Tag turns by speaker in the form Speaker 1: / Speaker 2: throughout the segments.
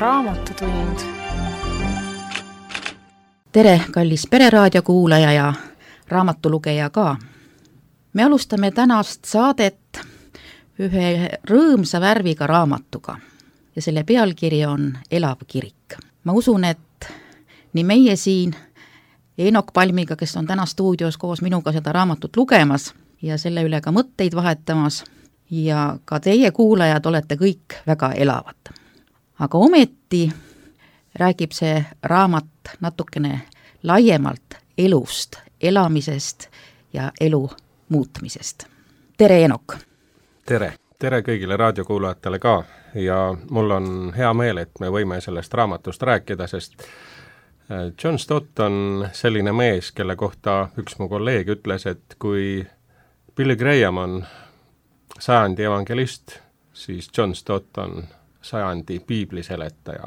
Speaker 1: Raamatutund.
Speaker 2: Tere, kallis Pereraadio kuulaja ja raamatulugeja ka. Me alustame tänast saadet ühe rõõmsa värviga raamatuga ja selle pealkiri on Elav kirik. Ma usun, et nii meie siin Eenok Palmiga, kes on täna stuudios koos minuga seda raamatut lugemas ja selle üle ka mõtteid vahetamas, ja ka teie kuulajad olete kõik väga elavad. Aga ometi räägib see raamat natukene laiemalt elust, elamisest ja elu muutmisest. Tere, Eenok!
Speaker 3: Tere kõigile raadiokuulajatele ka ja mul on hea meel, et me võime sellest raamatust rääkida, sest John Stott on selline mees, kelle kohta üks mu kolleeg ütles, et kui Billy Graham on sajandi evangelist, siis John Stott on sajandi piibliseletaja,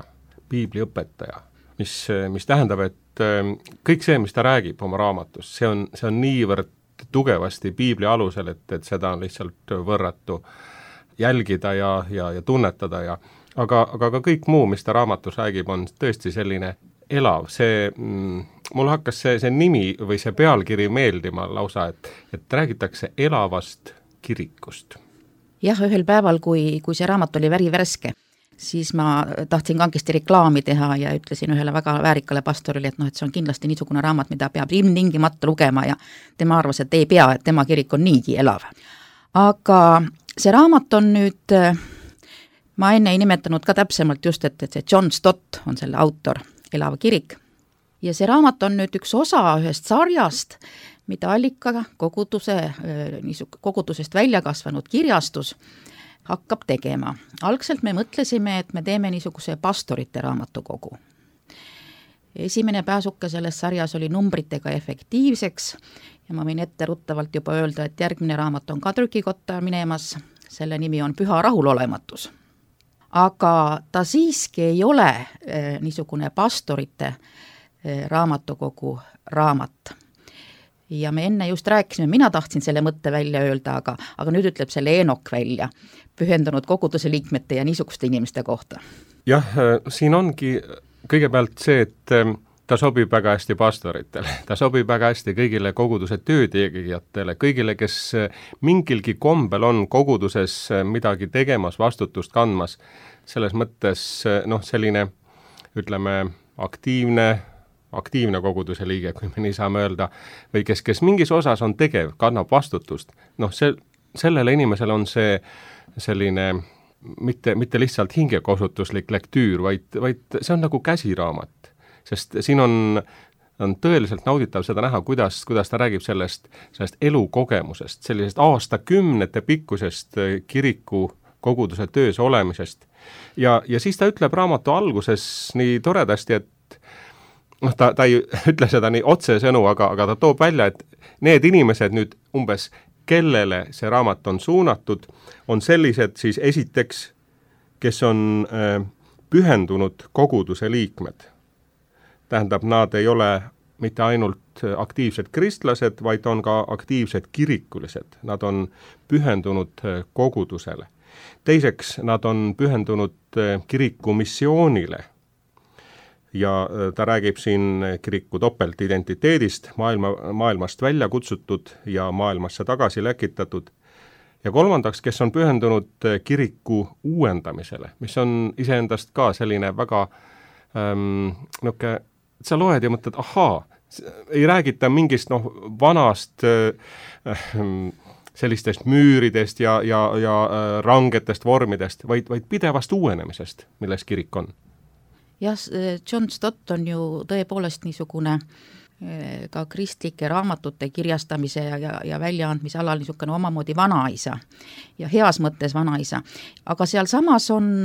Speaker 3: piibliõpetaja, mis tähendab, et kõik see, mis ta räägib oma raamatus, see on niivõrd tugevasti piibli alusel, et seda on lihtsalt võrratu jälgida ja tunnetada, aga ka kõik muu, mis ta raamatus räägib, on tõesti selline elav. Mul hakkas see nimi või see pealkiri meeldima lausa, et räägitakse elavast kirikust.
Speaker 2: Jah, ühel päeval, kui see raamat oli värske, siis ma tahtsin kangesti reklaami teha ja ütlesin ühele väga väärikale pastorile, et see on kindlasti niisugune raamat, mida peab ilmtingimata lugema, ja tema arvas, et ei pea, et tema kirik on niigi elav. Aga see raamat on nüüd, ma enne ei nimetanud ka täpsemalt just, et see John Stott on selle autor, Elav kirik. Ja see raamat on nüüd üks osa ühest sarjast, mida Allika kogudusest välja kasvanud kirjastus hakkab tegema. Algselt me mõtlesime, et me teeme niisuguse pastorite raamatukogu. Esimene pääsuke selles sarjas oli numbritega efektiivseks ja ma võin ette ruttavalt juba öelda, et järgmine raamat on ka trükikotta minemas, selle nimi on Püha rahulolematus. Aga ta siiski ei ole niisugune pastorite raamatukogu raamat. Ja me enne just rääkisime, mina tahtsin selle mõtte välja öelda, aga nüüd ütleb selle Eenok välja, pühendunud koguduse liikmete ja niisuguste inimeste kohta.
Speaker 3: Jah, siin ongi kõigepealt see, et ta sobib väga hästi pastoritele, ta sobib väga hästi kõigile koguduse töötegijatele, kõigile, kes mingilgi kombel on koguduses midagi tegemas, vastutust kandmas, selles mõttes selline, ütleme, aktiivne koguduse liige, kui me nii saame öelda, või kes mingis osas on tegev, kannab vastutust. Sellele inimesele on see selline mitte lihtsalt hingekosutuslik lektüür, vaid see on nagu käsiraamat. Sest siin on tõeliselt nauditav seda näha, kuidas ta räägib sellest elukogemusest, sellisest aastakümnete pikkusest kiriku koguduse töös olemisest. Ja siis ta ütleb raamatu alguses nii toredasti, et ta ei ütle seda nii otsesõnu, aga ta toob välja, et need inimesed nüüd umbes, kellele see raamat on suunatud, on sellised siis esiteks, kes on pühendunud koguduse liikmed. Tähendab, nad ei ole mitte ainult aktiivsed kristlased, vaid on ka aktiivsed kirikulised. Nad on pühendunud kogudusele. Teiseks, nad on pühendunud kiriku missioonile. Ja ta räägib siin kiriku topeltidentiteedist, maailmast välja kutsutud ja maailmasse tagasi läkitatud. Ja kolmandaks, kes on pühendunud kiriku uuendamisele, mis on iseendast ka selline väga sa loed ja mõtled, ei räägita mingist vanast sellistest müüridest ja rangetest vormidest, vaid pidevast uuenemisest, milles kirik on.
Speaker 2: Jah, John Stott on ju tõepoolest niisugune ka kristlike raamatute kirjastamise ja väljaandmise alal niisugune omamoodi vanaisa ja heas mõttes vanaisa. Aga seal samas on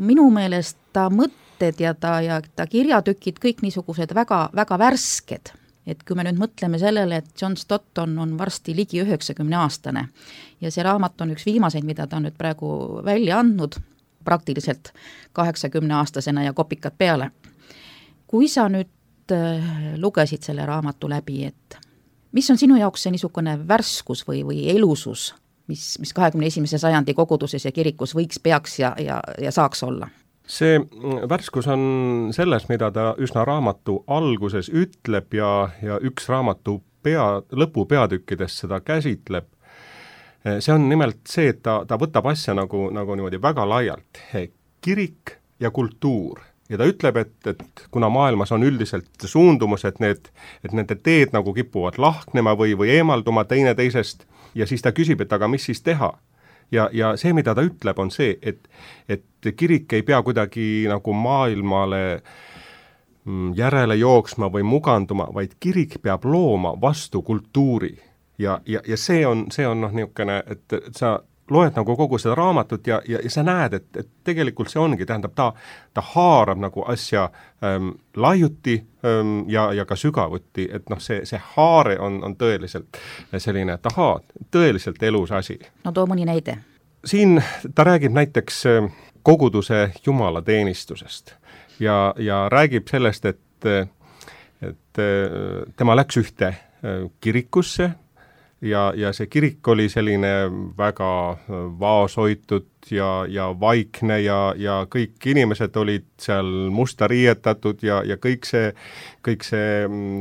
Speaker 2: minu meelest ta mõtted ja ta kirjatükid kõik niisugused väga, väga värsked. Et kui me nüüd mõtleme sellele, et John Stott on varsti ligi 90-aastane ja see raamat on üks viimaseid, mida ta on nüüd praegu välja andnud, praktiliselt 80-aastasena ja kopikad peale. Kui sa nüüd lugesid selle raamatu läbi, et mis on sinu jaoks see niisugune värskus või elusus, mis 21. sajandi koguduses ja kirikus peaks ja saaks olla?
Speaker 3: see värskus on selles, mida ta üsna raamatu alguses ütleb ja üks raamatu lõpupeatükkidest seda käsitleb. See on nimelt see, et ta võtab asja nagu niimoodi väga laialt. Kirik ja kultuur. Ja ta ütleb, et kuna maailmas on üldiselt suundumus, et nende teed nagu kipuvad lahknema või eemalduma teineteisest, ja siis ta küsib, et aga mis siis teha? Ja see, mida ta ütleb, on see, et kirik ei pea kuidagi nagu maailmale järele jooksma või muganduma, vaid kirik peab looma vastu kultuuri. Ja see on niisugune, et sa loed nagu kogu seda raamatut ja sa näed, et tegelikult see ongi, tähendab, ta haarab nagu asja laiuti ja ka sügavuti, et see haare on tõeliselt selline, tõeliselt elus asi.
Speaker 2: No too mõni näide.
Speaker 3: Siin ta räägib näiteks koguduse jumalateenistusest ja räägib sellest, et tema läks ühte kirikusse ja see kirik oli selline väga vaoshoitud ja vaikne ja kõik inimesed olid seal musta riietatud ja kõik see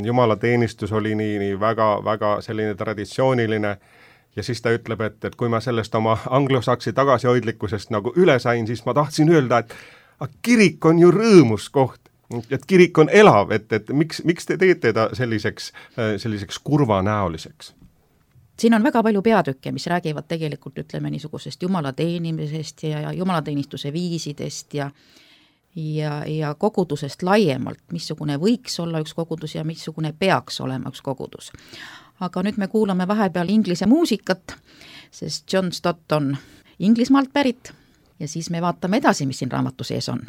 Speaker 3: jumalateenistus oli nii väga selline traditsiooniline. Ja siis ta ütleb, et kui ma sellest oma anglosaksi tagasihoidlikkusest nagu üle sain, siis ma tahtsin öelda, et kirik on ju rõõmus koht, et kirik on elav, et miks te teete ta selliseks kurvanäoliseks?
Speaker 2: Siin on väga palju peatükke, mis räägivad tegelikult, ütleme, niisugusest jumalateenimisest ja jumalateenistuse viisidest ja kogudusest laiemalt, missugune võiks olla üks kogudus ja missugune peaks olema üks kogudus. Aga nüüd me kuulame vahepeal inglise muusikat, sest John Stott on Inglismaalt pärit ja siis me vaatame edasi, mis siin raamatu sees on.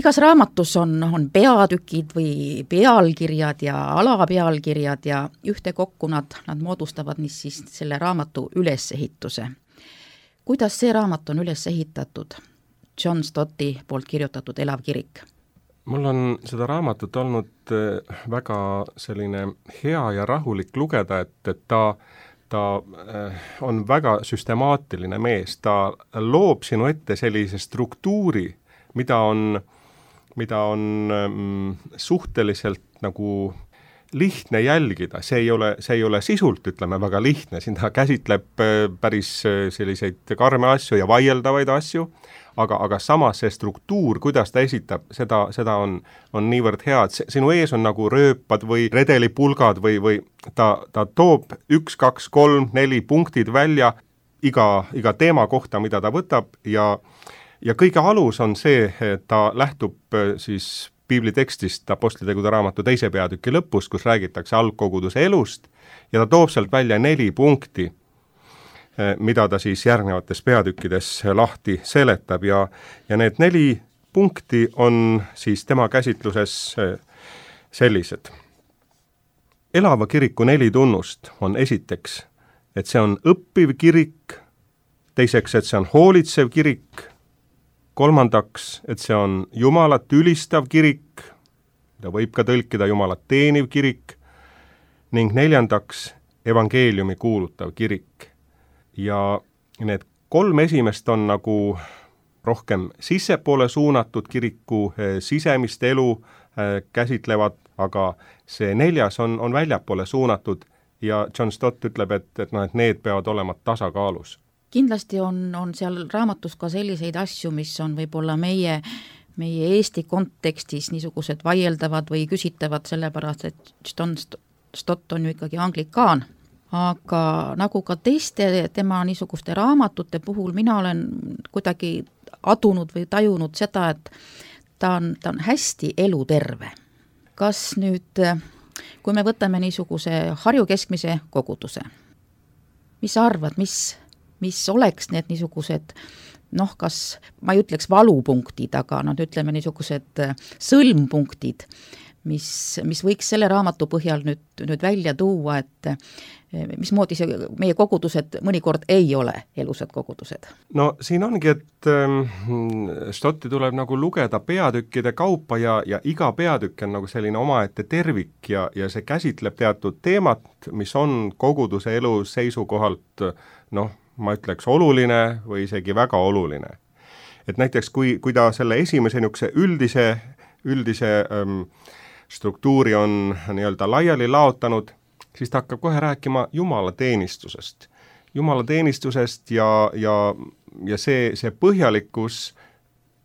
Speaker 2: Igas raamatus on peatükid või pealkirjad ja alapealkirjad ja ühtekokku nad moodustavad siis selle raamatu ülesehituse. Kuidas see raamat on üles ehitatud? John Stotti poolt kirjutatud Elav kirik.
Speaker 3: Mul on seda raamatut olnud väga selline hea ja rahulik lugeda, et ta on väga süstemaatiline mees. Ta loob sinu ette sellise struktuuri, mida on suhteliselt nagu lihtne jälgida. See ei ole sisult, ütleme, väga lihtne. Siin ta käsitleb päris selliseid karme asju ja vaieldavaid asju, aga samas see struktuur, kuidas ta esitab, seda on niivõrd hea, et sinu ees on nagu rööpad või redelipulgad või ta toob 1, 2, 3, 4 punktid välja iga teema kohta, mida ta võtab ja kõige alus on see, et ta lähtub siis piiblitekstist Apostlitegude raamatu 2. peatüki lõpus, kus räägitakse algkoguduse elust ja ta toob sealt välja 4 punkti, mida ta siis järgnevates peatükkides lahti seletab ja need 4 punkti on siis tema käsitluses sellised. Elava kiriku 4 tunnust on esiteks, et see on õppiv kirik, teiseks, et see on hoolitsev kirik, kolmandaks, et see on Jumalat ülistav kirik, mida võib ka tõlkida Jumalat teeniv kirik, ning neljandaks, evangeeliumi kuulutav kirik. Ja need 3 esimest on nagu rohkem sissepoole suunatud, kiriku sisemist elu käsitlevad, aga see 4. on väljapoole suunatud ja John Stott ütleb, et need peavad olema tasakaalus.
Speaker 2: Kindlasti on seal raamatus ka selliseid asju, mis on võib-olla meie Eesti kontekstis niisugused vaieldavad või küsitavad, sellepärast et John Stott on ju ikkagi anglikaan. Aga nagu ka teiste tema niisuguste raamatute puhul mina olen kuidagi adunud või tajunud seda, et ta on hästi eluterve. Kas nüüd, kui me võtame niisuguse Harju keskmise koguduse, mis sa arvad, mis oleks need niisugused kas ma ei ütleks valupunktid, aga ütleme niisugused sõlmpunktid, mis võiks selle raamatu põhjal nüüd välja tuua, et mismoodi see meie kogudused mõnikord ei ole elusad kogudused?
Speaker 3: No siin ongi, et Stotti tuleb nagu lugeda peatükkide kaupa ja iga peatükk on nagu selline omaette tervik ja see käsitleb teatud teemat, mis on koguduse elu seisukohalt ma ütleks oluline või isegi väga oluline. Et näiteks kui ta selle esimese niisuguse üldise struktuuri on nii-öelda laiali laotanud, siis ta hakkab kohe rääkima jumalateenistusest. Jumalateenistusest ja see põhjalikkus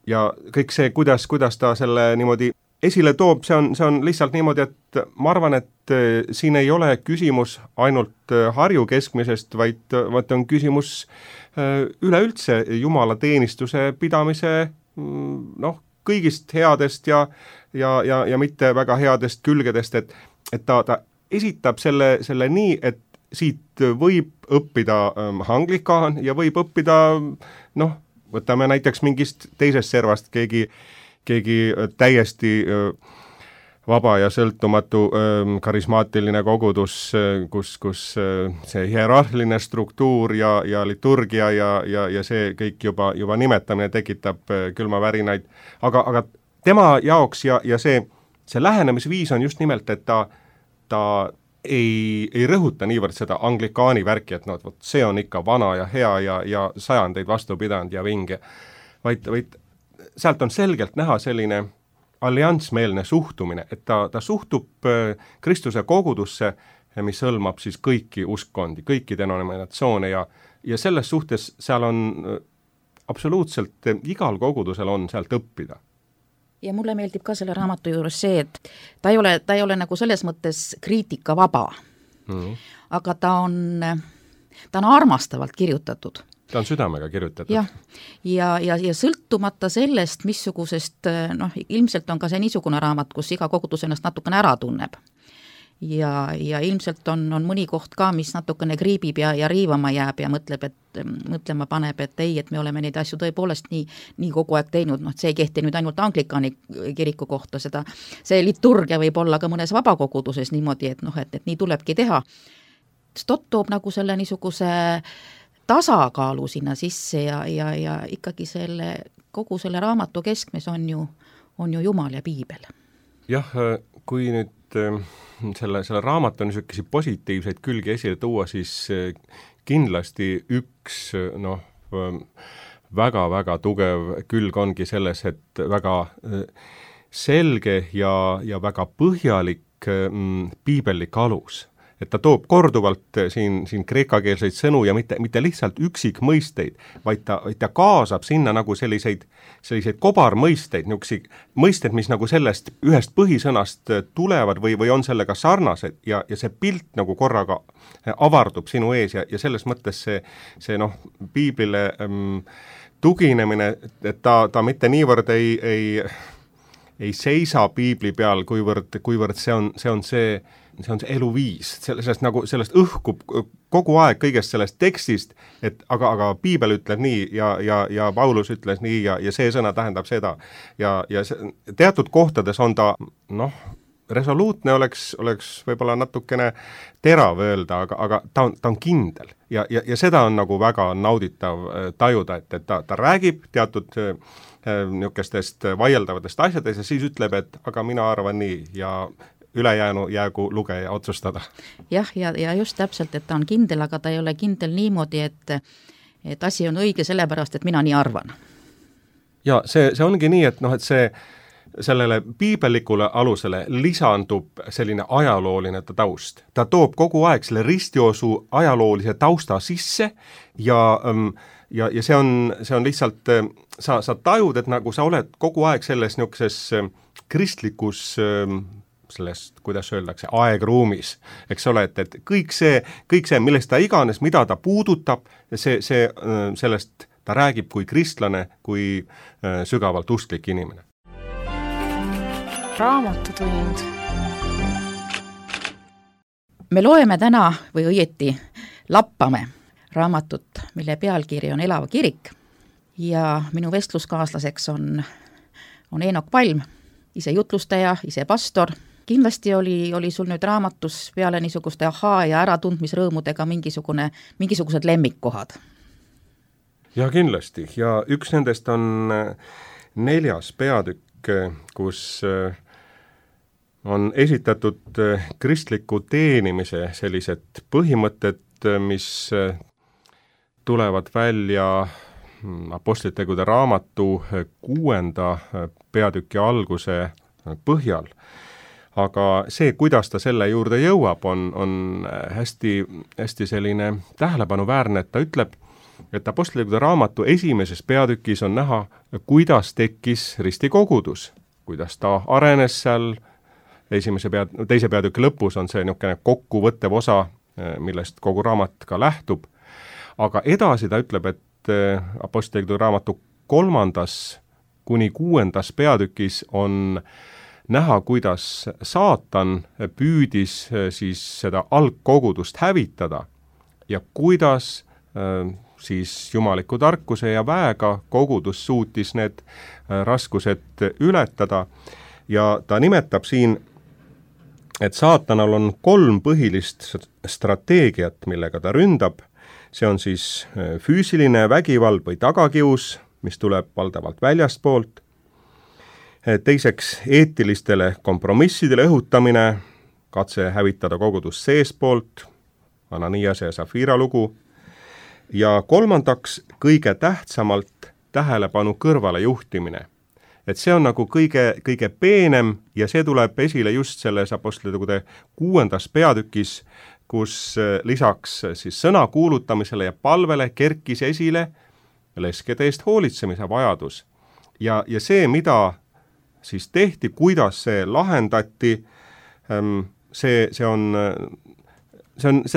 Speaker 3: ja kõik see, kuidas ta selle niimoodi esile toob, see on lihtsalt niimoodi, et ma arvan, et siin ei ole küsimus ainult Harju keskmisest, vaid on küsimus üleüldse jumalateenistuse pidamise kõigist headest ja mitte väga headest külgedest, et ta esitab selle nii, et siit võib õppida anglikaan ja võib õppida, võtame näiteks mingist teisest servast keegi täiesti vaba ja sõltumatu karismaatiline kogudus, kus see hierarhiline struktuur ja liturgia ja see kõik juba nimetamine tekitab külmavärinaid. Aga tema jaoks ja see lähenemisviis on just nimelt, et ta ei rõhuta niivõrd seda anglikaani värki, et see on ikka vana ja hea ja sajandeid vastu pidanud ja vinge, vaid sealt on selgelt näha selline alliansmeelne suhtumine, et ta suhtub Kristuse kogudusse, mis hõlmab siis kõiki uskkondi, kõiki denominatsioone ja selles suhtes seal on absoluutselt igal kogudusel on sealt õppida.
Speaker 2: Ja mulle meeldib ka selle raamatu juures see, et ta ei ole nagu selles mõttes kriitikavaba, aga ta on armastavalt kirjutatud.
Speaker 3: Ta on südamega kirjutatud.
Speaker 2: Ja sõltumata sellest, missugusest, ilmselt on ka see niisugune raamat, kus iga kogudus ennast natukene ära tunneb. Ja ilmselt on mõni koht ka, mis natukene kriibib ja riivama jääb ja mõtlema paneb, et ei, et me oleme neid asju tõepoolest nii kogu aeg teinud, see ei kehti nüüd ainult anglikaani kiriku kohta, see liturgia võib olla ka mõnes vabakoguduses niimoodi, et nii tulebki teha. Stott toob nagu selle niisuguse tasakaalu sinna sisse ja ikkagi kogu selle raamatu keskmes on ju Jumal ja Piibel.
Speaker 3: Jah, kui nüüd selle raamatu niisuguseid positiivseid külgi esile tuua, siis kindlasti üks väga-väga tugev külg ongi selles, et väga selge ja väga põhjalik piibellik alus. Et ta toob korduvalt siin kreekakeelseid sõnu ja mitte lihtsalt üksikmõisteid, vaid ta kaasab sinna nagu selliseid kobarmõisteid, niisuguseid mõisted, mis nagu sellest ühest põhisõnast tulevad või on sellega sarnased ja see pilt nagu korraga avardub sinu ees ja selles mõttes see piiblile tuginemine, et ta mitte niivõrd ei seisa piibli peal, kuivõrd see on see eluviis, sellest õhkub kogu aeg kõigest sellest tekstist, et aga piibel ütleb nii ja Paulus ütles nii ja see sõna tähendab seda. Ja teatud kohtades on ta, resoluutne oleks võib-olla natukene terav öelda, aga ta on kindel ja seda on nagu väga nauditav tajuda, et ta räägib teatud niisugustest vaieldavatest asjadest ja siis ütleb, et aga mina arvan nii ja ülejäänu jäägu lugeja otsustada. Jah,
Speaker 2: ja just täpselt, et ta on kindel, aga ta ei ole kindel niimoodi, et asi on õige sellepärast, et mina nii arvan.
Speaker 3: Ja see ongi nii, et et sellele piibellikule alusele lisandub selline ajalooline taust. Ta toob kogu aeg selle ristiosu ajaloolise tausta sisse ja see on lihtsalt, sa tajud, et nagu sa oled kogu aeg selles niisuguses kristlikus sellest, kuidas öeldakse, aegruumis, eks ole, et kõik see, millest ta iganes, mida ta puudutab, sellest ta räägib kui kristlane, kui sügavalt usklik inimene.
Speaker 1: Raamatutund.
Speaker 2: Me loeme täna või õieti lappame raamatut, mille pealkiri on Elava kirik ja minu vestluskaaslaseks on Eenok Palm, ise jutlustaja, ise pastor. Kindlasti oli sul nüüd raamatus peale niisuguste ahaa ja äratundmisrõõmudega mingisugused lemmikkohad?
Speaker 3: Ja kindlasti. Ja üks nendest on 4. peatükk, kus on esitatud kristliku teenimise sellised põhimõtted, mis tulevad välja Apostlitegude raamatu 6. peatüki alguse põhjal. Aga see, kuidas ta selle juurde jõuab, on hästi, hästi selline tähelepanuväärne, et ta ütleb, et Apostlitegude raamatu 1. peatükis on näha, kuidas tekkis ristikogudus, kuidas ta arenes seal. 2. peatüki lõpus on see niisugune kokkuvõttev osa, millest kogu raamat ka lähtub. Aga edasi ta ütleb, et Apostlitegude raamatu 3. kuni 6. peatükis on näha, kuidas saatan püüdis siis seda algkogudust hävitada ja kuidas siis jumaliku tarkuse ja väega kogudus suutis need raskused ületada. Ja ta nimetab siin, et saatanal on 3 põhilist strateegiat, millega ta ründab. See on siis füüsiline vägivald või tagakius, mis tuleb valdavalt väljastpoolt. Teiseks eetilistele kompromissidele õhutamine, katse hävitada kogudus seespoolt, Ananiase ja Safira lugu. Ja 3. kõige tähtsamalt tähelepanu kõrvale juhtimine. Et see on nagu kõige peenem ja see tuleb esile just selles Apostlitegude 6. peatükis, kus lisaks siis sõna kuulutamisele ja palvele kerkis esile leskede eest hoolitsemise vajadus. Ja see, mida siis tehti, kuidas see lahendati, see on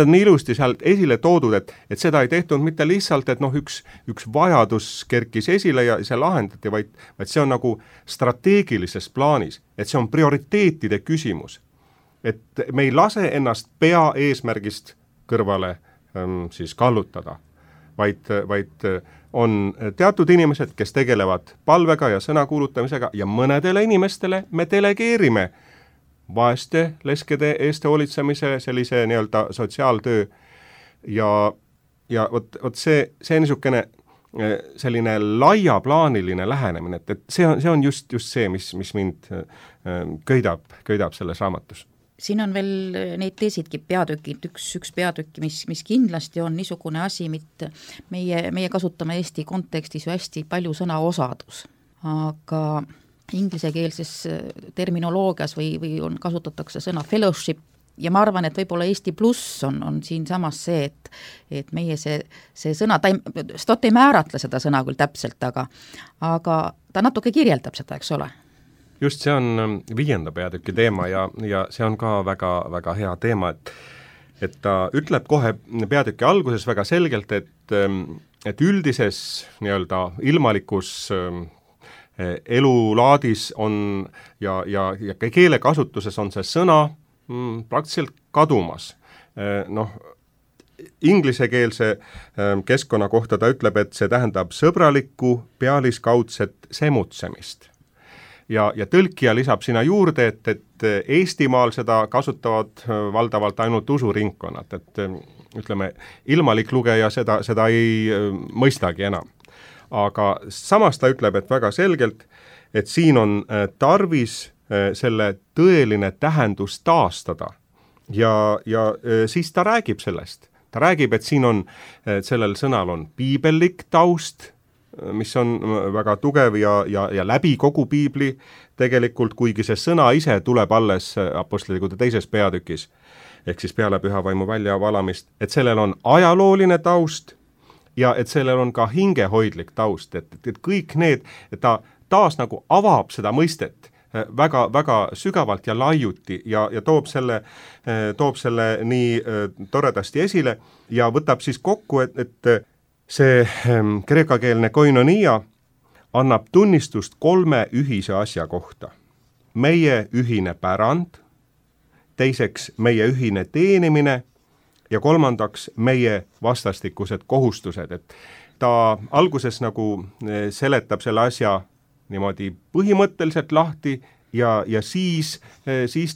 Speaker 3: nii ilusti sealt esile toodud, et seda ei tehtud mitte lihtsalt, et üks vajadus kerkis esile ja see lahendati, vaid see on nagu strateegilises plaanis, et see on prioriteetide küsimus. Et me ei lase ennast pea eesmärgist kõrvale siis kallutada, vaid on teatud inimesed, kes tegelevad palvega ja sõna kuulutamisega ja mõnedele inimestele me delegeerime vaeste leskede eest hoolitsemise sellise nii-öelda sotsiaaltöö ja vot see niisugune selline laiaplaaniline lähenemine, et see on just see, mis mind köidab selles raamatus.
Speaker 2: Siin on veel neid teisidki peatükid, üks peatükki, mis kindlasti on niisugune asi, mitte meie kasutame Eesti kontekstis ju hästi palju sõna osadus, aga inglisekeelses terminoloogias või kasutatakse sõna fellowship ja ma arvan, et võib-olla Eesti pluss on siin samas see, et meie see sõna, Stott ei määratle seda sõna küll täpselt, aga ta natuke kirjeldab seda, eks ole?
Speaker 3: Just see on 5. peatüki teema ja see on ka väga, väga hea teema, et ta ütleb kohe peatüki alguses väga selgelt, et üldises nii-öelda ilmalikus elulaadis on ja keelekasutuses on see sõna praktiliselt kadumas. Inglisekeelse keskkonna kohta ta ütleb, et see tähendab sõbralikku pealiskaudset semutsemist. Ja tõlkija lisab sinna juurde, et Eestimaal seda kasutavad valdavalt ainult usuringkonnad, et ütleme, ilmalik lugeja seda ei mõistagi enam. Aga samas ta ütleb, et väga selgelt, et siin on tarvis selle tõeline tähendus taastada ja siis ta räägib sellest. Ta räägib, et siin on, sellel sõnal on piibellik taust mis on väga tugev ja läbi kogu piibli tegelikult, kuigi see sõna ise tuleb alles Apostlite 2. peatükis, ehk siis peale püha vaimu väljavalamist, et sellel on ajalooline taust ja et sellel on ka hingehoidlik taust, et kõik need, et ta taas nagu avab seda mõistet väga, väga sügavalt ja laiuti ja toob selle nii toredasti esile ja võtab siis kokku, et see kreekakeelne koinonia annab tunnistust 3 ühise asja kohta. Meie ühine pärand, teiseks meie ühine teenimine ja kolmandaks meie vastastikused kohustused, et ta alguses nagu seletab selle asja niimoodi põhimõtteliselt lahti ja siis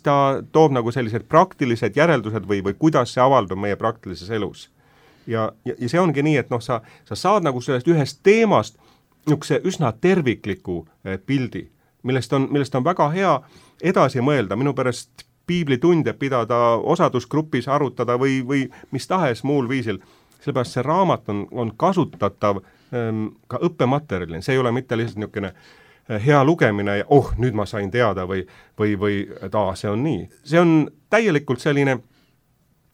Speaker 3: ta toob nagu sellised praktilised järeldused või kuidas see avaldub meie praktilises elus. Ja see ongi nii, et sa saad nagu sellest ühest teemast niisuguse üsna tervikliku pildi, millest on väga hea edasi mõelda, minu pärast piiblitunde pidada, osadusgrupis arutada või mis tahes muul viisil, sellepärast see raamat on kasutatav ka õppematerjalina, see ei ole mitte lihtsalt niisugune hea lugemine ja nüüd ma sain teada või see on nii. See on täielikult selline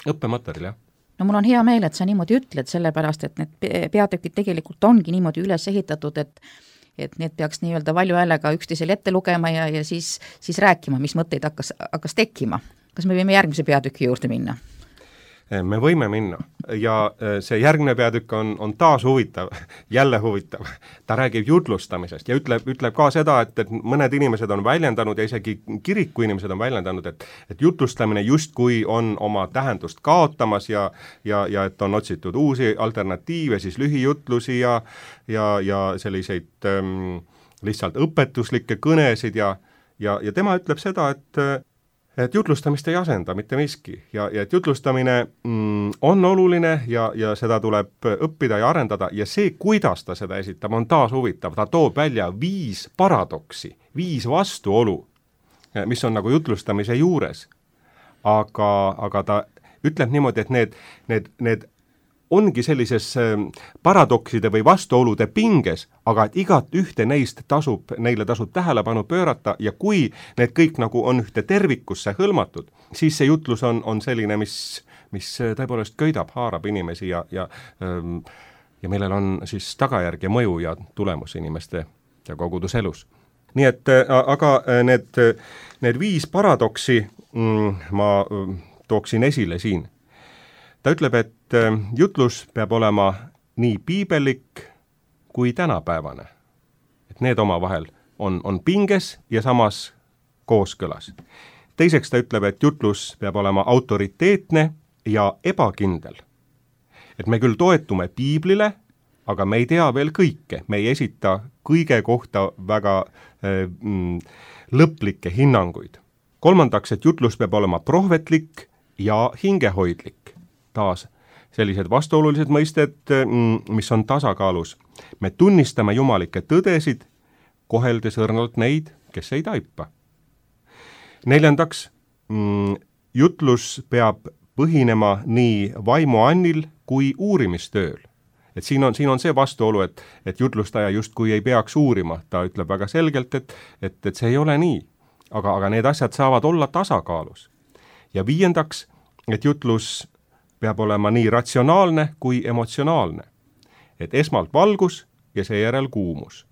Speaker 3: õppematerjal, jah.
Speaker 2: No mul on hea meel, et sa niimoodi ütled, sellepärast, et need peatükid tegelikult ongi niimoodi üles ehitatud, et need peaks nii-öelda valju häälega üksteisele ette lugema ja siis rääkima, mis mõtteid hakkas tekkima. Kas me võime järgmise peatüki juurde minna?
Speaker 3: Me võime minna ja see järgmine peatükk on taas huvitav, jälle huvitav. Ta räägib jutlustamisest ja ütleb ka seda, et mõned inimesed on väljendanud ja isegi kiriku inimesed on väljendanud, et jutlustamine justkui on oma tähendust kaotamas ja et on otsitud uusi alternatiive, siis lühijutlusi ja selliseid lihtsalt õpetuslikke kõnesid ja tema ütleb seda, et jutlustamist ei asenda mitte miski ja et jutlustamine on oluline ja seda tuleb õppida ja arendada ja see, kuidas ta seda esitab, on taas huvitav. Ta toob välja 5 paradoksi, 5 vastuolu, mis on nagu jutlustamise juures. Aga ta ütleb niimoodi, et need ongi sellises paradokside või vastuolude pinges, aga et igat ühte neist neile tasub tähelepanu pöörata ja kui need kõik nagu on ühte tervikusse hõlmatud, siis see jutlus on selline, mis tõepoolest köidab, haarab inimesi ja millel on siis tagajärg ja mõju ja tulemus inimeste ja koguduselus. Nii et aga need 5 paradoksi ma tooksin esile siin. Ta ütleb, et jutlus peab olema nii piibellik kui tänapäevane. Et need omavahel on pinges ja samas kooskõlas. Teiseks ta ütleb, et jutlus peab olema autoriteetne ja ebakindel. Et me küll toetume piiblile, aga me ei tea veel kõike. Me ei esita kõige kohta väga lõplikke hinnanguid. Kolmandaks, et jutlus peab olema prohvetlik ja hingehoidlik. Taas sellised vastuolulised mõisted, mis on tasakaalus. Me tunnistame jumalikke tõdesid, koheldes õrnalt neid, kes ei taipa. Neljandaks, jutlus peab põhinema nii vaimuannil kui uurimistööl. Et siin on see vastuolu, et jutlustaja justkui ei peaks uurima. Ta ütleb väga selgelt, et see ei ole nii. Aga need asjad saavad olla tasakaalus. Ja viiendaks, et jutlus peab olema nii ratsionaalne kui emotsionaalne. Et esmalt valgus ja seejärel kuumus.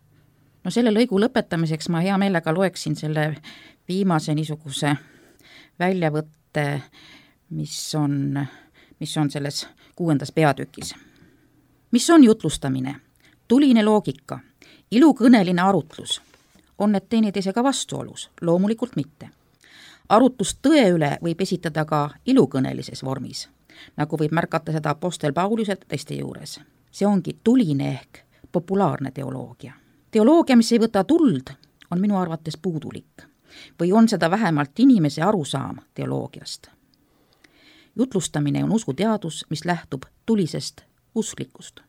Speaker 2: No selle lõigu lõpetamiseks ma hea meelega loeksin selle viimase niisuguse väljavõtte, mis on selles 6. peatükis. Mis on jutlustamine? Tuline loogika, ilukõneline arutlus. On need teineteisega vastuolus? Loomulikult mitte. Arutlus tõe üle võib esitada ka ilukõnelises vormis, nagu võib märkata seda apostel Pauliselt teiste juures. See ongi tuline ehk populaarne teoloogia. Teoloogia, mis ei võta tuld, on minu arvates puudulik. Või on seda vähemalt inimese arusaam teoloogiast. Jutlustamine on usuteadus, mis lähtub tulisest usklikust.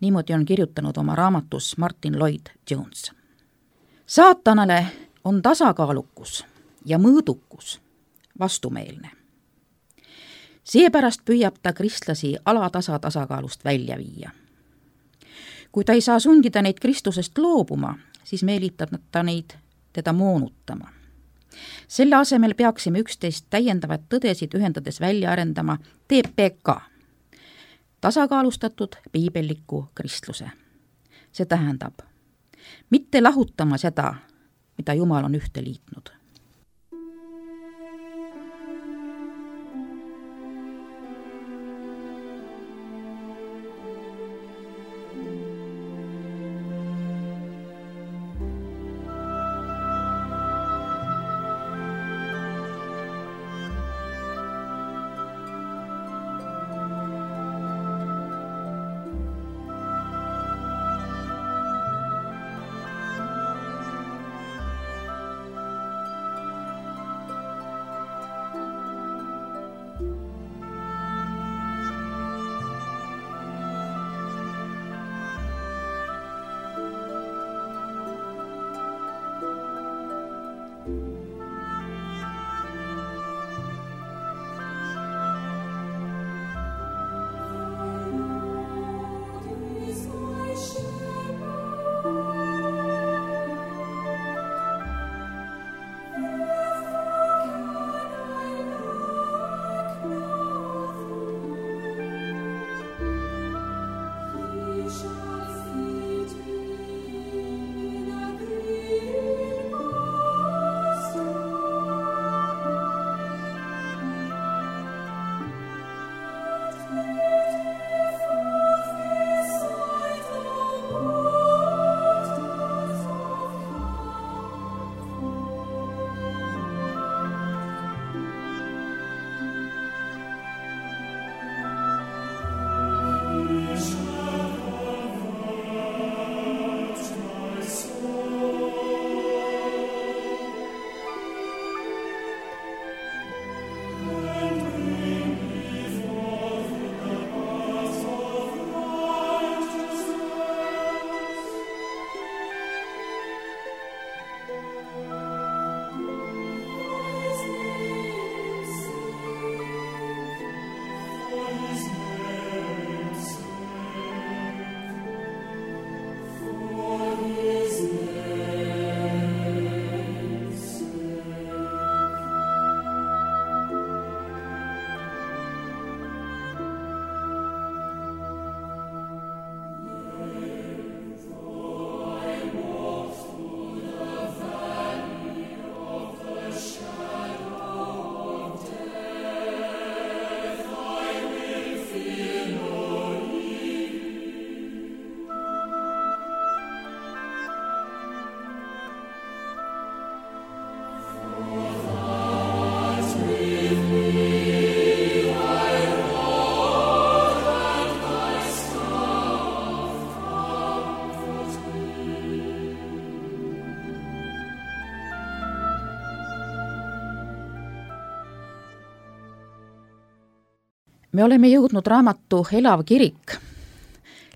Speaker 2: Niimoodi on kirjutanud oma raamatus Martin Lloyd-Jones. Saatanale on tasakaalukus ja mõõdukus vastumeelne. Seepärast püüab ta kristlasi alatasa tasakaalust välja viia. Kui ta ei saa sundida neid Kristusest loobuma, siis meelitab ta neid teda moonutama. Selle asemel peaksime üksteist täiendavaid tõdesid ühendades välja arendama TPK, tasakaalustatud piibelliku kristluse. See tähendab, mitte lahutama seda, mida Jumal on ühte liitnud. Me oleme jõudnud raamatu Elav kirik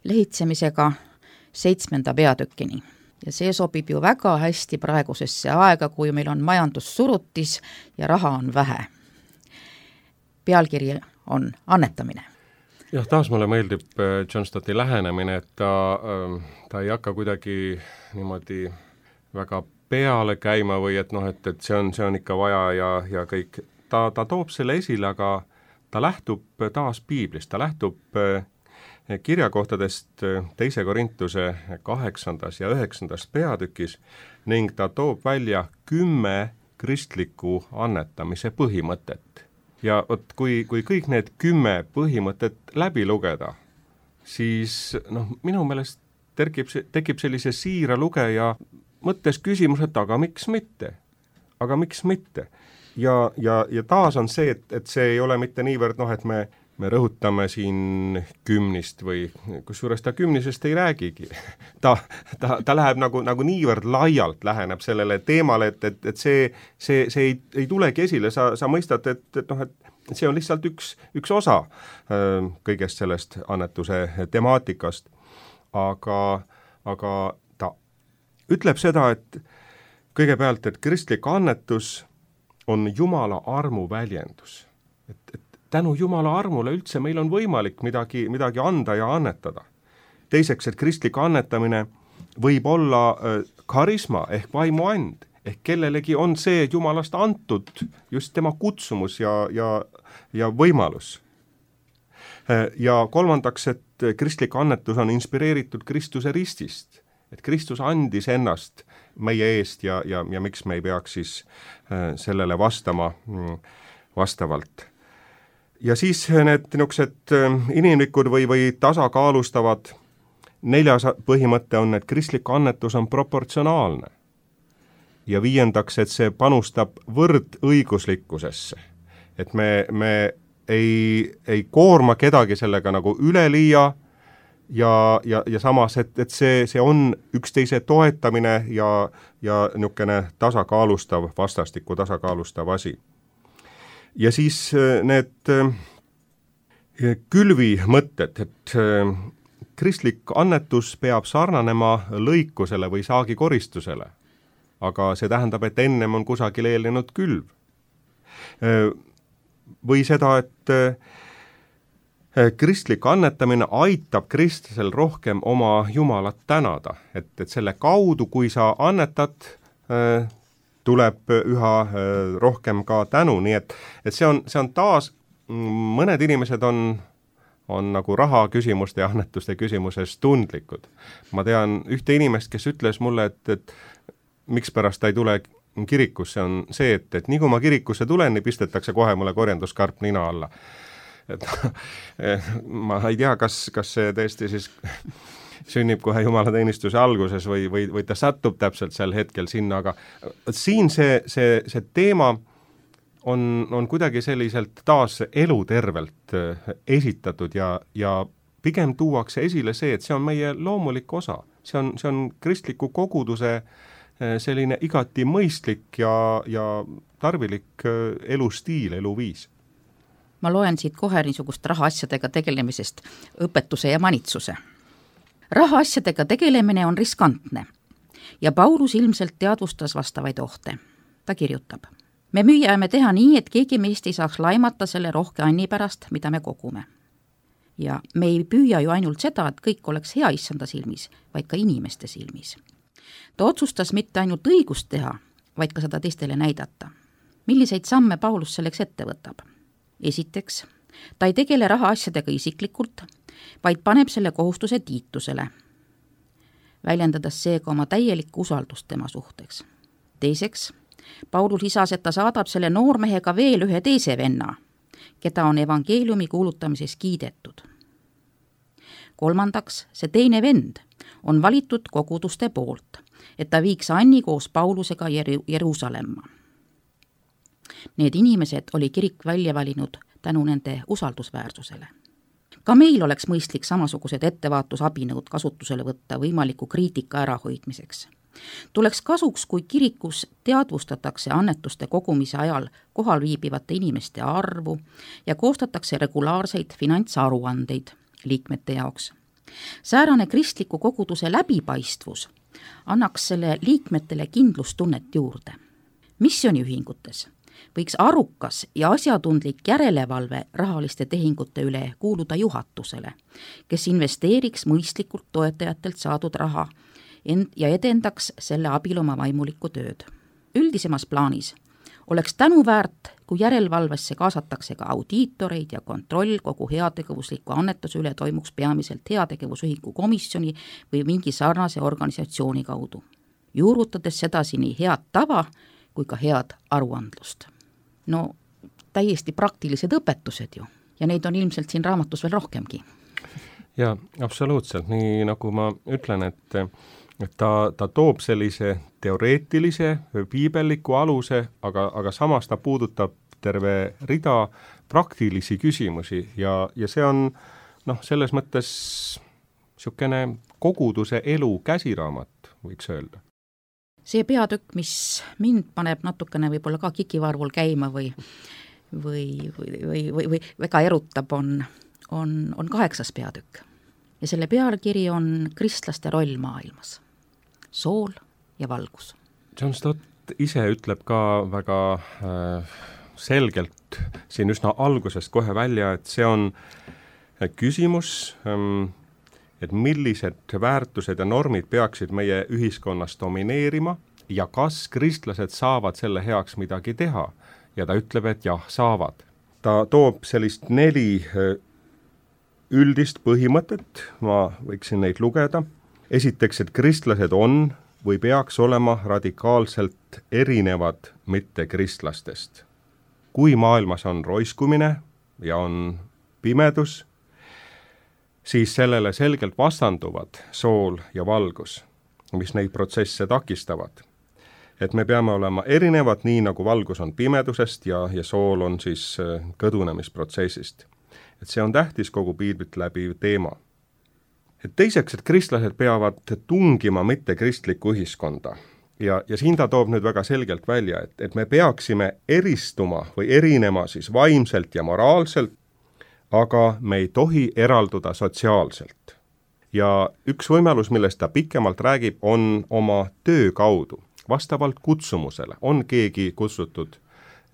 Speaker 2: lehitsemisega 7. peatükini ja see sobib ju väga hästi praegusesse aega, kui meil on majandussurutis ja raha on vähe. Pealkiri on annetamine.
Speaker 3: Jah, taas mulle meeldib John Stotti lähenemine, et ta ei hakka kuidagi niimoodi väga peale käima või et et see on ikka vaja ja kõik. Ta toob selle esile, aga ta lähtub taas piiblist, ta lähtub kirjakohtadest 2. Korintuse 8. ja 9. peatükis ning ta toob välja 10 kristliku annetamise põhimõtet. Ja kui kõik need 10 põhimõtet läbi lugeda, siis minu meelest tekib sellise siira lugeja mõttes küsimus, et aga miks mitte? Aga miks mitte? Ja taas on see, et see ei ole mitte niivõrd, et me rõhutame siin 10 või kusjuures ta 10 ei räägigi. Ta läheb nagu niivõrd laialt läheneb sellele teemale, et see ei tulegi esile, sa mõistad, et see on lihtsalt üks osa kõigest sellest annetuse temaatikast. Aga ta ütleb seda, et kõigepealt, et kristlik annetus on Jumala armu väljendus. Et tänu Jumala armule üldse meil on võimalik midagi anda ja annetada. teiseks, et kristlik annetamine võib olla karisma ehk vaimuand, ehk kellelegi on see Jumalast antud just tema kutsumus ja võimalus. Ja kolmandaks, et kristlik annetus on inspireeritud Kristuse ristist, et Kristus andis ennast meie eest ja miks me ei peaks siis sellele vastama vastavalt. Ja siis need niisugused inimlikud või tasakaalustavad 4. põhimõte on, et kristlik annetus on proportsionaalne. Ja 5, et see panustab võrdõiguslikkusesse. Et me ei koorma kedagi sellega nagu üleliia ja samas, et see on üksteise toetamine ja niisugune tasakaalustav, vastastikku tasakaalustav asi. Ja siis need külvi mõtted, et kristlik annetus peab sarnanema lõikusele või saagikoristusele, aga see tähendab, et ennem on kusagil eelnenud külv. Või seda, et kristlik annetamine aitab kristlasel rohkem oma Jumalat tänada, et selle kaudu, kui sa annetad, tuleb üha rohkem ka tänu, nii et see on taas, mõned inimesed on nagu raha küsimuste ja annetuste küsimuses tundlikud. Ma tean ühte inimest, kes ütles mulle, et mikspärast ta ei tule kirikusse, on see, et nii kui ma kirikusse tulen, nii pistetakse kohe mulle korjanduskarp nina alla. Et ma ei tea, kas see tõesti siis sünnib kohe jumalateenistuse alguses või ta satub täpselt sel hetkel sinna, aga siin see teema on kuidagi selliselt taas elutervelt esitatud ja pigem tuuakse esile see, et see on meie loomulik osa. See on kristliku koguduse selline igati mõistlik ja tarvilik elustiil, eluviis.
Speaker 2: Ma loen siit kohe niisugust rahaasjadega tegelemisest õpetuse ja manitsuse. Rahaasjadega tegelemine on riskantne ja Paulus ilmselt teadvustas vastavaid ohte. Ta kirjutab: me müüame teha nii, et keegi meist ei saaks laimata selle rohke anni pärast, mida me kogume. Ja me ei püüa ju ainult seda, et kõik oleks hea issanda silmis, vaid ka inimeste silmis. Ta otsustas mitte ainult õigust teha, vaid ka seda teistele näidata. Milliseid samme Paulus selleks ette võtab? Esiteks, ta ei tegele rahaasjadega isiklikult, vaid paneb selle kohustuse Tiitusele, väljendades seega oma täielikku usaldust tema suhteks. Teiseks, Paulus lisas, et ta saadab selle noormehega veel ühe teise venna, keda on evangeeliumi kuulutamises kiidetud. Kolmandaks, see teine vend on valitud koguduste poolt, et ta viiks Anni koos Paulusega Jeruusalemma. Need inimesed oli kirik välja valinud tänu nende usaldusväärsusele. Ka meil oleks mõistlik samasugused ettevaatusabinõud kasutusele võtta võimaliku kriitika ärahoidmiseks. Tuleks kasuks, kui kirikus teadvustatakse annetuste kogumise ajal kohal viibivate inimeste arvu ja koostatakse regulaarseid finantsaruandeid liikmete jaoks. Säärane kristliku koguduse läbipaistvus annaks selle liikmetele kindlustunnet juurde. Missiooniühingutes võiks arukas ja asjatundlik järelevalve rahaliste tehingute üle kuuluda juhatusele, kes investeeriks mõistlikult toetajatelt saadud raha ja edendaks selle abil oma vaimulikku tööd. Üldisemas plaanis oleks tänuväärt, kui järelevalvesse kaasatakse ka audiitoreid ja kontroll kogu heategevusliku annetuse üle toimuks peamiselt heategevusühingu komisjoni või mingi sarnase organisatsiooni kaudu, juurutades sedasi nii head tava kui ka head aruandlust. No täiesti praktilised õpetused ju ja neid on ilmselt siin raamatus veel rohkemgi.
Speaker 3: Ja absoluutselt, nii nagu ma ütlen, et ta toob sellise teoreetilise, piibelliku aluse, aga samas ta puudutab terve rida praktilisi küsimusi ja see on selles mõttes niisugune koguduse elu käsiraamat, võiks öelda.
Speaker 2: See peatükk, mis mind paneb natukene võib-olla ka kikivarvul käima või väga erutab, on 8. peatükk. Ja selle pealkiri on kristlaste roll maailmas. Sool ja valgus.
Speaker 3: John Stott ise ütleb ka väga selgelt siin üsna algusest kohe välja, et see on küsimus, et millised väärtused ja normid peaksid meie ühiskonnas domineerima ja kas kristlased saavad selle heaks midagi teha. Ja ta ütleb, et jah, saavad. Ta toob sellist 4 üldist põhimõtet, ma võiksin neid lugeda. Esiteks, et kristlased on või peaks olema radikaalselt erinevad mittekristlastest. Kui maailmas on roiskumine ja on pimedus, siis sellele selgelt vastanduvad sool ja valgus, mis neid protsesse takistavad. Et me peame olema erinevad, nii nagu valgus on pimedusest ja sool on siis kõdunemisprotsessist. Et see on tähtis kogu piiblit läbiv teema. Et teiseks, et kristlased peavad tungima mittekristlikku ühiskonda. Ja siin ta toob nüüd väga selgelt välja, et me peaksime eristuma või erinema siis vaimselt ja moraalselt, aga me ei tohi eralduda sotsiaalselt. Ja üks võimalus, millest ta pikemalt räägib, on oma töö kaudu, vastavalt kutsumusele. On keegi kutsutud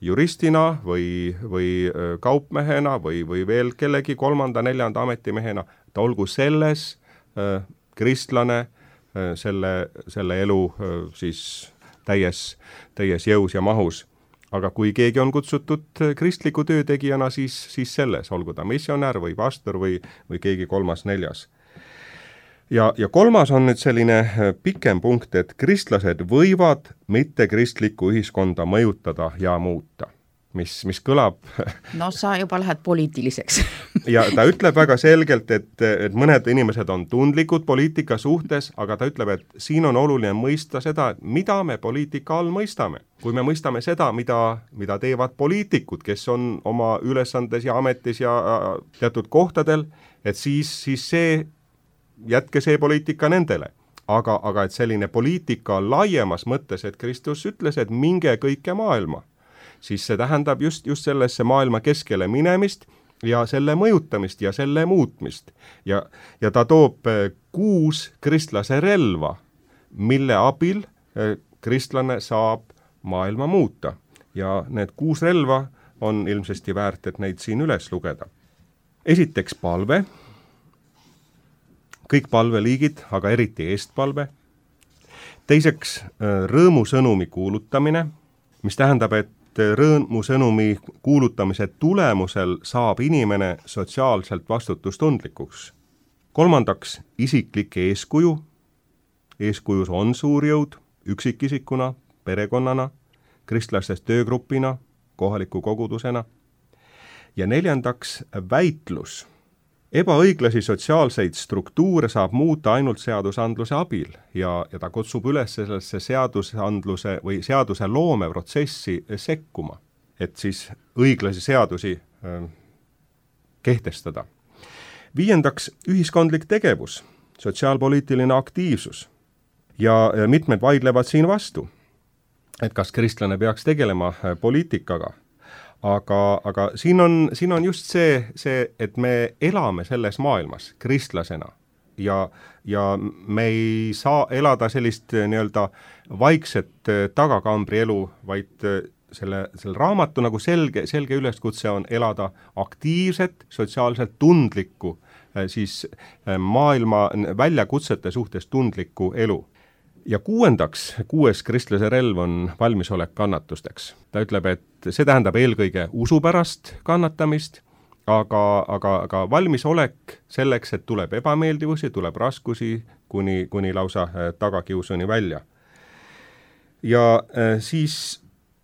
Speaker 3: juristina või kaupmehena või veel kellegi 3., 4. ametimehena, ta olgu selles kristlane, selle elu siis täies jõus ja mahus. Aga kui keegi on kutsutud kristliku töötegijana, siis selles, olgu ta missionär või pastor või keegi 3., 4. Ja 3. on nüüd selline pikem punkt, et kristlased võivad mittekristlikku ühiskonda mõjutada ja muuta. Mis kõlab...
Speaker 2: No sa juba lähed poliitiliseks.
Speaker 3: Ja ta ütleb väga selgelt, et mõned inimesed on tundlikud poliitika suhtes, aga ta ütleb, et siin on oluline mõista seda, mida me poliitika all mõistame. Kui me mõistame seda, mida teevad poliitikud, kes on oma ülesandes ja ametis ja teatud kohtadel, et siis jätke see poliitika nendele. Aga et selline poliitika laiemas mõttes, et Kristus ütles, et minge kõike maailma, siis see tähendab just sellesse maailma keskele minemist ja selle mõjutamist ja selle muutmist. Ja ta toob 6 kristlase relva, mille abil kristlane saab maailma muuta. Ja need 6 relva on ilmsesti väärt, et neid siin üles lugeda. Esiteks palve, kõik palveliigid, aga eriti eestpalve. Teiseks rõõmusõnumi kuulutamine, mis tähendab, et rõõmusõnumi kuulutamise tulemusel saab inimene sotsiaalselt vastutustundlikuks. 3. isiklik eeskuju. Eeskujus on suur jõud üksikisikuna, perekonnana, kristlastest töögrupina, kohaliku kogudusena. Ja 4. väitlus. Ebaõiglasi sotsiaalseid struktuure saab muuta ainult seadusandluse abil ja ta kutsub üles sellesse seadusandluse või seaduse loome protsessi sekkuma, et siis õiglasi seadusi kehtestada. 5. ühiskondlik tegevus, sotsiaalpoliitiline aktiivsus ja mitmed vaidlevad siin vastu, et kas kristlane peaks tegelema poliitikaga. Aga siin on just see, et me elame selles maailmas kristlasena ja me ei saa elada sellist nii-öelda vaikset tagakambri elu, vaid selle raamatu nagu selge üleskutse on elada aktiivset, sotsiaalselt tundlikku, siis maailma väljakutsete suhtes tundlikku elu. Ja 6. kristlase relv on valmisolek kannatusteks. Ta ütleb, et see tähendab eelkõige usu pärast kannatamist, aga valmisolek selleks, et tuleb ebameeldivusi, tuleb raskusi kuni lausa tagakiusuni välja. Ja siis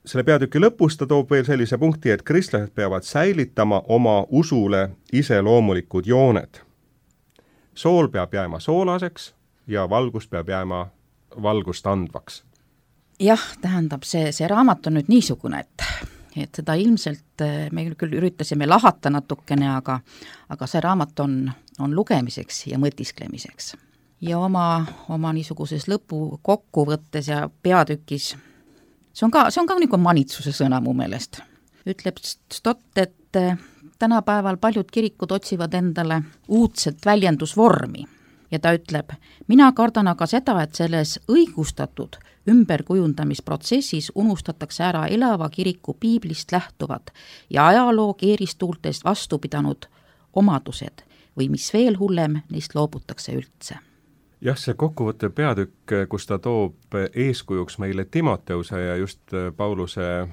Speaker 3: selle peatüki lõpus ta toob veel sellise punkti, et kristlased peavad säilitama oma usule iseloomulikud jooned. Sool peab jääma soolaseks ja valgus peab jääma valgust andvaks.
Speaker 2: Jah, tähendab, see raamat on nüüd niisugune, et seda ilmselt me küll üritasime lahata natukene, aga see raamat on lugemiseks ja mõtisklemiseks. Ja oma niisuguses lõpu kokkuvõttes ja peatükis, see on ka nagu manitsuse sõna mu meelest. Ütleb Stott, et tänapäeval paljud kirikud otsivad endale uudset väljendusvormi. Ja ta ütleb, mina kardan aga seda, et selles õigustatud ümberkujundamisprotsessis unustatakse ära elava kiriku piiblist lähtuvad ja ajaloo keeristuultest vastu pidanud omadused, või mis veel hullem, neist loobutakse üldse.
Speaker 3: Jah, see kokkuvõtte peatükk, kus ta toob eeskujuks meile Timoteuse ja just Pauluse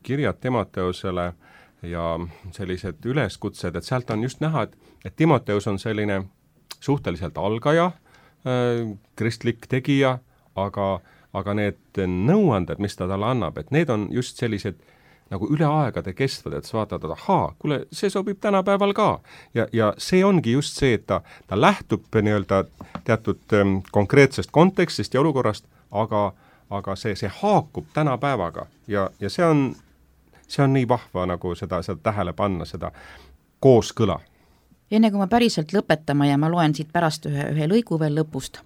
Speaker 3: kirjad Timoteusele ja sellised üleskutsed, et sealt on just näha, et Timoteus on selline suhteliselt algaja, kristlik tegija, aga need nõuanded, mis ta talle annab, et need on just sellised nagu üle aegade kestvad, et sa vaatad, et ahaa, kuule, see sobib tänapäeval ka. Ja see ongi just see, et ta lähtub nii-öelda teatud konkreetsest kontekstist ja olukorrast, aga see haakub tänapäevaga ja see on nii vahva nagu seda tähele panna, seda kooskõla.
Speaker 2: Enne kui ma päriselt lõpetama ja ma loen siit pärast ühe lõigu veel lõpust,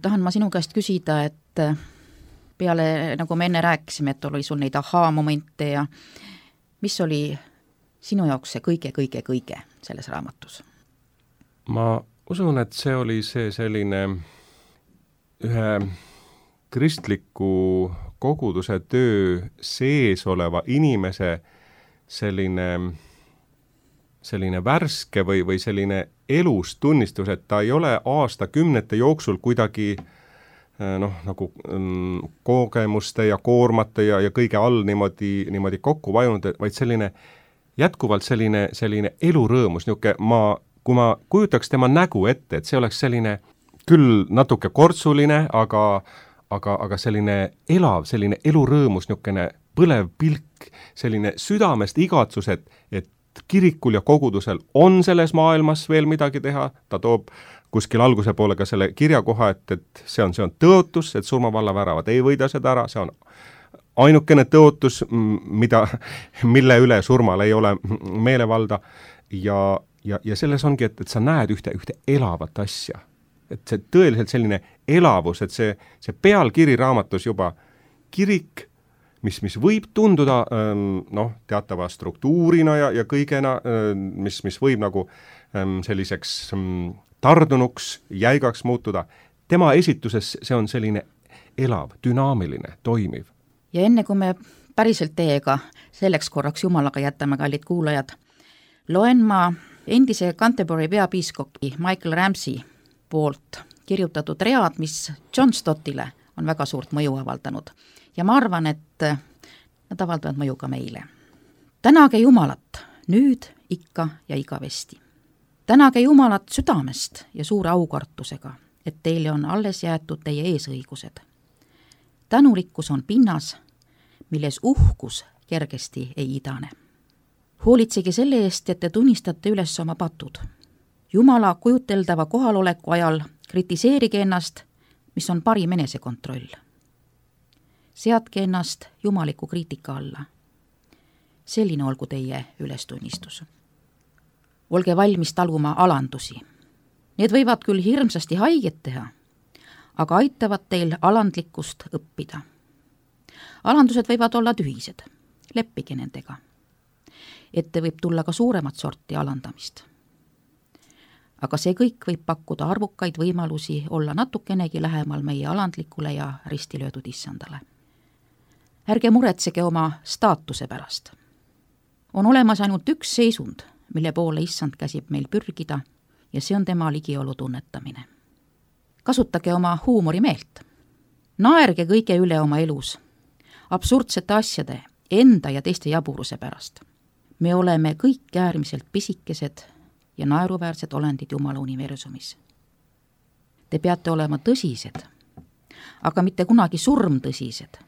Speaker 2: tahan ma sinu käest küsida, et peale, nagu me enne rääkisime, et oli sul neid ahaa-momente ja mis oli sinu jaoks see kõige selles raamatus?
Speaker 3: Ma usun, et see oli see selline ühe kristliku koguduse töö sees oleva inimese selline värske või selline elustunnistus, et ta ei ole aastakümnete jooksul kuidagi nagu kogemuste ja koormate ja kõige all niimoodi kokku vajunud, vaid selline jätkuvalt selline elurõõmus, kui ma kujutaks tema nägu ette, et see oleks selline küll natuke kortsuline, aga selline elav, selline elurõõmus, niisugune põlev pilk, selline südamest igatsus, et kirikul ja kogudusel on selles maailmas veel midagi teha, ta toob kuskil alguse poole ka selle kirjakoha, et see on tõotus, et surmavalla väravad ei võida seda ära, see on ainukene tõotus, mille üle surmal ei ole meelevalda ja selles ongi, et sa näed ühte elavat asja. Et see tõeliselt selline elavus, et see pealkiri raamatus juba kirik, mis võib tunduda teatava struktuurina ja kõigena, mis võib nagu selliseks tardunuks, jäigaks muutuda. Tema esituses see on selline elav, dünaamiline, toimiv.
Speaker 2: Ja enne kui me päriselt teiega selleks korraks jumalaga jätame, kallid kuulajad, loen ma endise Canterbury peapiiskopi Michael Ramsey poolt kirjutatud read, mis John Stottile on väga suurt mõju avaldanud. Ja ma arvan, et nad avaldavad mõju ka meile. Tänage Jumalat, nüüd, ikka ja igavesti. Tänage Jumalat südamest ja suure aukartusega, et teile on alles jäetud teie eesõigused. Tänulikkus on pinnas, milles uhkus kergesti ei idane. Hoolitsege selle eest, et te tunnistate üles oma patud. Jumala kujuteldava kohaloleku ajal kritiseerige ennast, mis on parim enesekontroll. Seadke ennast jumaliku kriitika alla. Selline olgu teie ülestunnistus. Olge valmis taluma alandusi. Need võivad küll hirmsasti haiget teha, aga aitavad teil alandlikkust õppida. Alandused võivad olla tühised, leppige nendega. Ette võib tulla ka suuremat sorti alandamist. Aga see kõik võib pakkuda arvukaid võimalusi olla natukenegi lähemal meie alandlikule ja ristilöödud issandale. Ärge muretsege oma staatuse pärast. On olemas ainult üks seisund, mille poole issand käsib meil pürgida ja see on tema ligiolu tunnetamine. Kasutage oma huumorimeelt. Naerge kõige üle oma elus, absurdsete asjade, enda ja teiste jaburuse pärast. Me oleme kõik äärmiselt pisikesed ja naeruväärsed olendid Jumala universumis. Te peate olema tõsised, aga mitte kunagi surmtõsised,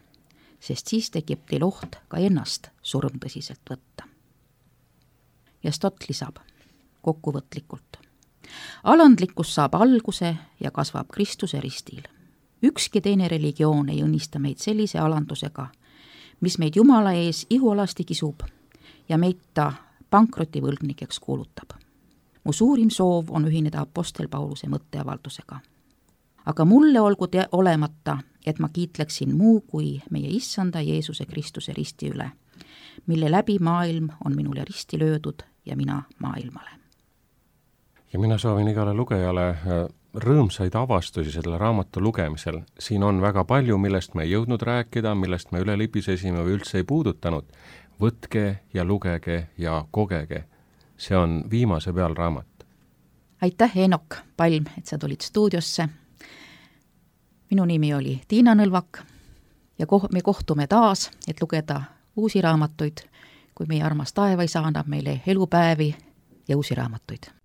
Speaker 2: sest siis tekib teil oht ka ennast surmtõsiselt võtta. Ja Stott lisab kokkuvõtlikult. Alandlikkus saab alguse ja kasvab Kristuse ristil. Ükski teine religioon ei õnnista meid sellise alandusega, mis meid Jumala ees ihualasti kisub ja meid ta pankrotivõlgnikeks kuulutab. Mu suurim soov on ühineda apostel Pauluse mõtteavaldusega. Aga mulle olgu olemata, et ma kiitleksin muu kui meie issanda Jeesuse Kristuse risti üle, mille läbi maailm on minule risti löödud ja mina maailmale.
Speaker 3: Ja mina soovin igale lugejale rõõmsaid avastusi selle raamatu lugemisel. Siin on väga palju, millest me ei jõudnud rääkida, millest me üle libisesime või üldse ei puudutanud. Võtke ja lugege ja kogege. See on viimase peal raamat.
Speaker 2: aitäh, Eenok Palm, et sa tulid stuudiosse. Minu nimi oli Tiina Nõlvak ja me kohtume taas, et lugeda uusi raamatuid, kui meie armas taevaisa annab meile elupäevi ja uusi raamatuid.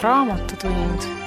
Speaker 1: Raamatutund